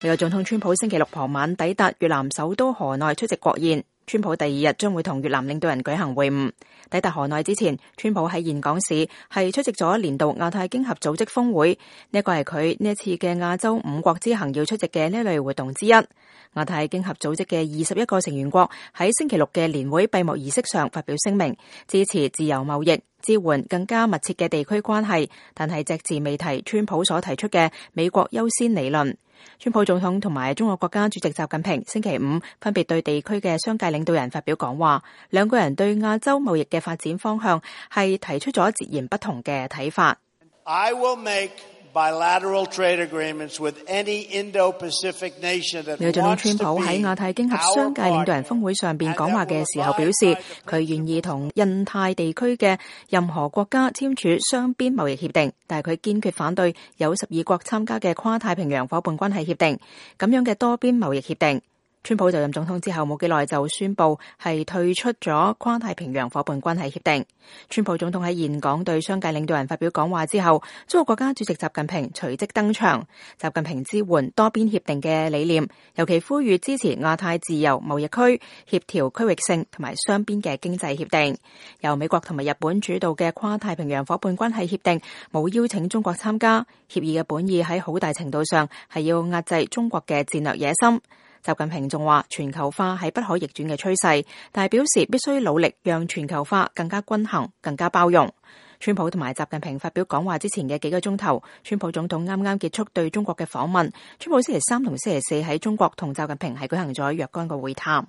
美國總統川普星期六傍晚抵達越南首都河內出席國宴。川普第二日將會同越南領導人舉行會晤。抵達河內之前，川普喺峴港市係出席咗年度亞太經合組織峰會，呢個係佢呢一次嘅亞洲五國之行要出席嘅呢類活動之一。亞太經合組織嘅21個成員國喺星期六嘅年會閉幕儀式上發表聲明，支持自由貿易，支援更加密切嘅地區關係，但係隻字未提川普所提出嘅美國優先理論。川普總統同埋中國國家主席習近平星期五分別對地區嘅商界領導人發表講話，兩個人對亞洲貿易嘅發展方向係提出咗截然不同嘅睇法。I will make bilateral trade agreements with any Indo-Pacific nation that wants to be our partner. 美國總統川普喺亞太經合商界領導人峰會上邊講話嘅時候表示，佢願意同印太地區嘅任何國家簽署雙邊貿易協定，但係佢堅決反對有12國參加嘅跨太平洋夥伴關係協定咁樣嘅多邊貿易協定。川普就任總統之後冇幾耐就宣布係退出咗跨太平洋夥伴關係協定。川普總統喺峴港對商界領導人發表講話之後，中國國家主席習近平隨即登場。習近平支援多邊協定嘅理念，尤其呼籲支持亞太自由貿易區，協調區域性同埋雙邊嘅經濟協定。由美國同埋日本主導嘅跨太平洋夥伴關係協定冇邀請中國參加，協議嘅本意喺好大程度上係要壓制中國嘅戰略野心。習近平仲話全球化係不可逆轉嘅趨勢，但係表示必須努力讓全球化更加均衡、更加包容。川普同埋習近平發表講話之前嘅幾個鐘頭，川普總統啱啱結束對中國嘅訪問。川普星期三同星期四喺中國同習近平係舉行咗若干個會談。